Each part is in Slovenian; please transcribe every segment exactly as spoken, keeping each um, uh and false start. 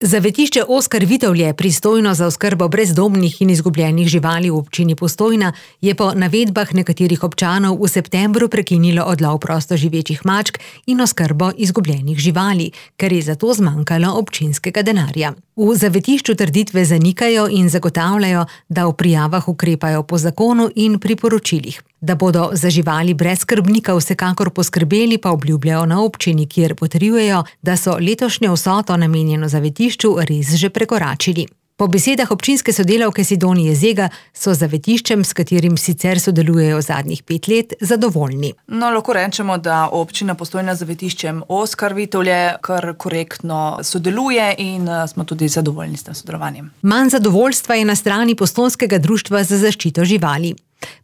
Zavetišče Oskar Vitovlje, pristojno za oskrbo brezdomnih in izgubljenih živali v občini Postojna, je po navedbah nekaterih občanov v septembru prekinilo odlov prostoživečih mačk in oskrbo izgubljenih živali, ker je zato zmanjkalo občinskega denarja. V zavetišču trditve zanikajo in zagotavljajo, da v prijavah ukrepajo po zakonu in priporočilih. Da bodo za živali brez skrbnika vsekakor poskrbeli, pa obljubljajo na občini, kjer potrjujejo, da so letošnjo vsoto namenjeno zavetišču res že prekoračili. Po besedah občinske sodelavke Sidonije Zega so zavetiščem, s katerim sicer sodelujejo zadnjih pet let, zadovoljni. No, lahko rečemo, da občina Postojna z zavetiščem Oskar Vitovlje kar korektno sodeluje in smo tudi zadovoljni s tem sodelovanjem. Manj zadovoljstva je na strani Postojnskega društva za zaščito živali.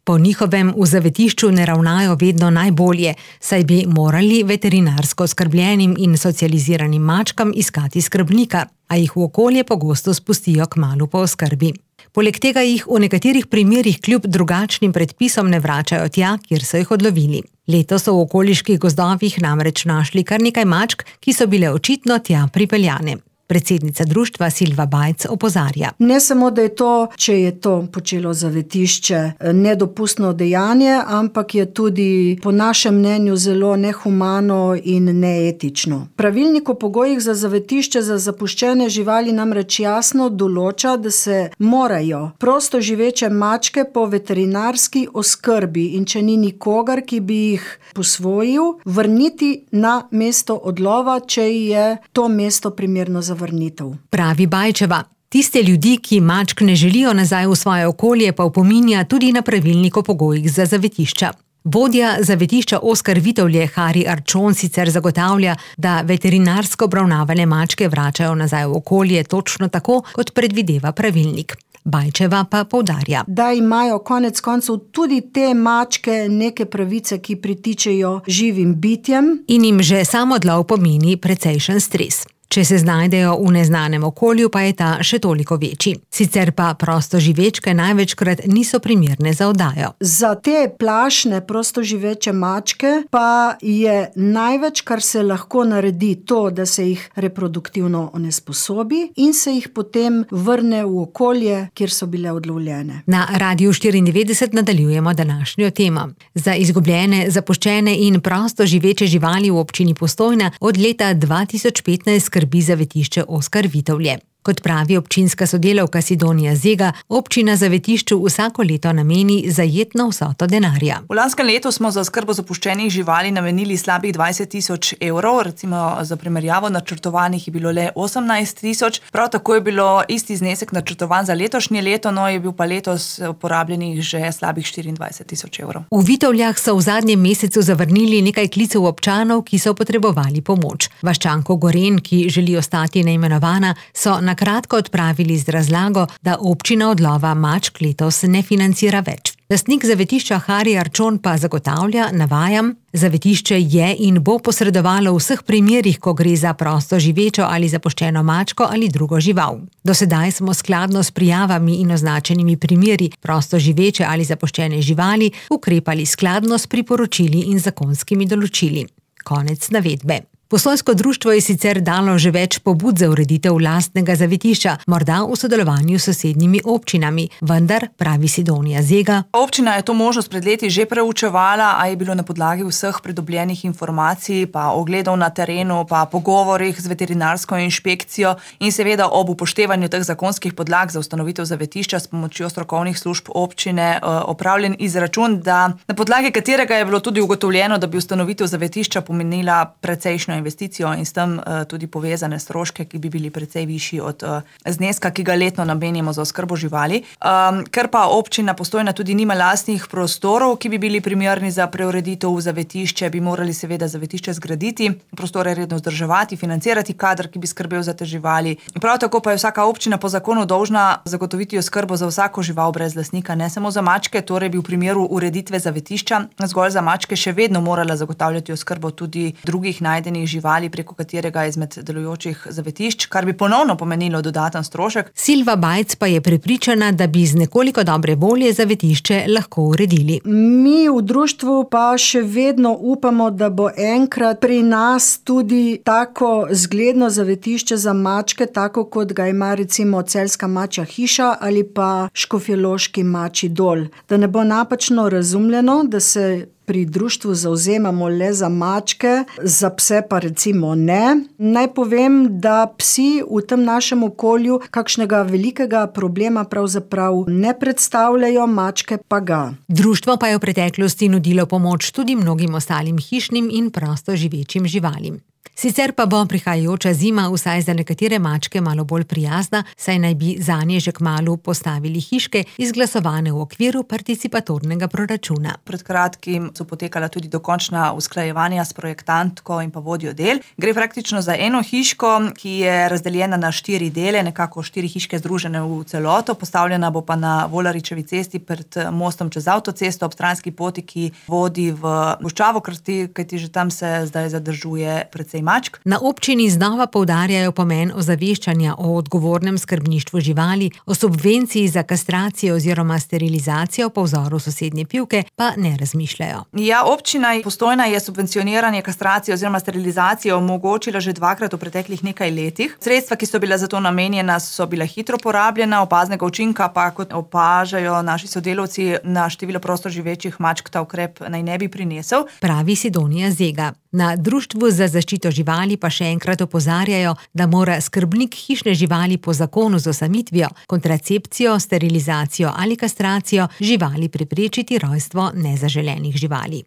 Po njihovem v zavetišču ne ravnajo vedno najbolje, saj bi morali veterinarsko skrbljenim in socializiranim mačkam iskati skrbnika, a jih v okolje pogosto spustijo kmalu po oskrbi. Poleg tega jih v nekaterih primerih kljub drugačnim predpisom ne vračajo tja, kjer so jih odlovili. Letos so v okoliških gozdovih namreč našli kar nekaj mačk, ki so bile očitno tja pripeljane. Predsednica društva Silva Bajc opozarja. Ne samo, da je to, če je to počelo zavetišče, nedopustno dejanje, ampak je tudi po našem mnenju zelo nehumano in neetično. Pravilnik o pogojih za zavetišče za zapuščene živali namreč jasno določa, da se morajo prosto živeče mačke po veterinarski oskrbi in če ni nikogar, ki bi jih posvojil, vrniti na mesto odlova, če je to mesto primerno za vrnitev. Pravi Bajčeva. Tiste ljudi, ki mačk ne želijo nazaj v svoje okolje, pa opominja tudi na pravilnik o pogojih za zavetišča. Vodja zavetišča Oskar Vitovlje Hari Arčon sicer zagotavlja, da veterinarsko obravnavane mačke vračajo nazaj v okolje točno tako, kot predvideva pravilnik. Bajčeva pa poudarja, da imajo konec koncev tudi te mačke neke pravice, ki pritičejo živim bitjem. In jim že sam odlov pomeni precejšen stres. Če se znajdejo v neznanem okolju, pa je ta še toliko večji. Sicer pa prostoživečke največkrat niso primerne za oddajo. Za te plašne prostoživeče mačke pa je največ, kar se lahko naredi, to, da se jih reproduktivno onesposobi in se jih potem vrne v okolje, kjer so bile odlovljene. Na Radiu štiriindevetdeset nadaljujemo današnjo temo. Za izgubljene, zapuščene in prostoživeče živali v občini Postojna od leta dva tisoč petnajst skrbi zavetišče Oskar Vitovlje. Kot pravi občinska sodelavka Sidonija Zega, občina zavetišču vsako leto nameni zajetno vsoto denarja. V lanskem letu smo za oskrbo zapuščenih živali namenili slabih dvajset tisoč evrov, recimo za primerjavo načrtovanih je bilo le osemnajst tisoč. Prav tako je bilo isti znesek načrtovan za letošnje leto, no je bil pa letos porabljenih že slabih štiriindvajset tisoč evrov. V Vitovljah so v zadnjem mesecu zavrnili nekaj klicev občanov, ki so potrebovali pomoč. Vaščanko Goren, ki želi ostati neimenovana, so na kratko odpravili z razlago, da občina odlova mačk letos ne financira več. Lastnik zavetišča Hari Arčon pa zagotavlja, navajam, zavetišče je in bo posredovalo v vseh primerih, ko gre za prosto živečo ali zapuščeno mačko ali drugo žival. Do sedaj smo skladno s prijavami in označenimi primeri prosto živeče ali zapuščene živali ukrepali skladno s priporočili in zakonskimi določili. Konec navedbe. Postojnsko društvo je sicer dalo že več pobud za ureditev lastnega zavetišča, morda v sodelovanju s sosednjimi občinami, vendar, pravi Sidonija Zega. Občina je to možnost pred leti že preučevala, a je bilo na podlagi vseh pridobljenih informacij, pa ogledov na terenu, pa pogovorih z veterinarsko inšpekcijo in seveda ob upoštevanju teh zakonskih podlag za ustanovitev zavetišča s pomočjo strokovnih služb občine opravljen izračun, da na podlagi katerega je bilo tudi ugotovljeno, da bi ustanovitev zavetišča pomenila precejšnjo investicijo in s tem uh, tudi povezane stroške, ki bi bili precej višji od uh, zneska, ki ga letno namenjamo za oskrbo živali. Um, ker pa občina Postojna tudi nima lastnih prostorov, ki bi bili primerni za preureditev v zavetišče, bi morali seveda zavetišče zgraditi, prostore redno vzdrževati, financirati kader, ki bi skrbel za te živali. Prav tako pa je vsaka občina po zakonu dolžna zagotoviti oskrbo za vsako žival brez lastnika, ne samo za mačke, torej bi v primeru ureditve zavetišča zgolj za mačke še vedno morala zagotavljati oskrbo tudi drugih najdenih zavrženih živali preko katerega izmed delujočih zavetišč, kar bi ponovno pomenilo dodaten strošek. Silva Bajc pa je prepričana, da bi z nekoliko dobre volje zavetišče lahko uredili. Mi v društvu pa še vedno upamo, da bo enkrat pri nas tudi tako zgledno zavetišče za mačke, tako kot ga ima recimo Celjska mačja hiša ali pa Škofjeloški mačji dol. Da ne bo napačno razumljeno, da se pri društvu zavzemamo le za mačke, za pse pa recimo ne. Naj povem, da psi v tem našem okolju kakšnega velikega problema pravzaprav ne predstavljajo, mačke pa ga. Društvo pa je v preteklosti nudilo pomoč tudi mnogim ostalim hišnim in prosto živečim živalim. Sicer pa bo prihajajoča zima vsaj za nekatere mačke malo bolj prijazna, saj naj bi zanje že kmalu postavili hiške, izglasovane v okviru participatornega proračuna. Pred kratkim so potekala tudi dokončna usklajevanja s projektantko in pa vodjo del. Gre praktično za eno hiško, ki je razdeljena na štiri dele, nekako štiri hiške združene v celoto. Postavljena bo pa na Volaričevi cesti pred mostom čez avtocesto ob stranski poti, ki vodi v Goščavo, kajti že tam se zdaj zadržuje precej mačk. Na občini znova poudarjajo pomen ozaveščanja o odgovornem skrbništvu živali, o subvenciji za kastracijo oziroma sterilizacijo po vzoru sosednje Pivke pa ne razmišljajo. Ja, občina Postojna je subvencioniranje kastracije oziroma sterilizacije omogočila že dvakrat v preteklih nekaj letih. Sredstva, ki so bila za to namenjena, so bila hitro porabljena, opaznega učinka pa, kot opažajo naši sodelavci, na število prosto živečih mačk ta ukrep naj ne bi prinesel. Pravi Sidonija Zega. Na Društvu za zaščito živali pa še enkrat opozarjajo, da mora skrbnik hišne živali po zakonu z osamitvijo, kontracepcijo, sterilizacijo ali kastracijo živali preprečiti rojstvo nezaželenih živali.